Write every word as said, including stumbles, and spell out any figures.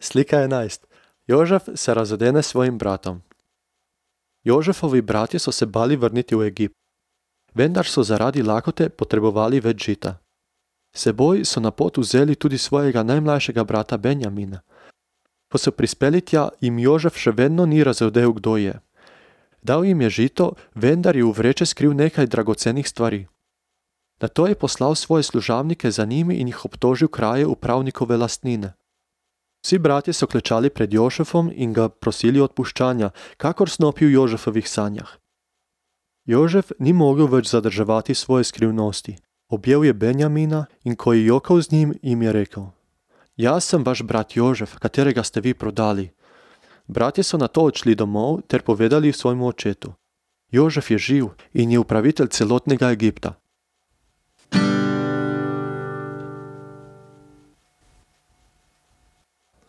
Slika enajst. Jožef se razodene s svojim bratom. Jožefovi bratje so se bali vrniti v Egipt, vendar so zaradi lakote potrebovali več žita. S seboj so na pot vzeli tudi svojega najmlajšega brata Benjamina. Ko so prispeli tja, jim Jožef še vedno ni razodel, kdo je. Dal jim je žito, vendar je v vreče skril nekaj dragocenih stvari. Nato je poslal svoje služabnike za njimi in jih obtožil kraje upravnikove lastnine. Vsi bratje so klečali pred Jožefom in ga prosili odpuščanja, kakor snopi v Jožefovih sanjah. Jožef ni mogel več zadrževati svoje skrivnosti. Objel je Benjamina in ko je jokal z njim, jim je rekel: Jaz sem vaš brat Jožef, katerega ste vi prodali. Bratje so nato odšli domov ter povedali svojemu očetu: Jožef je živ in je upravitelj celotnega Egipta.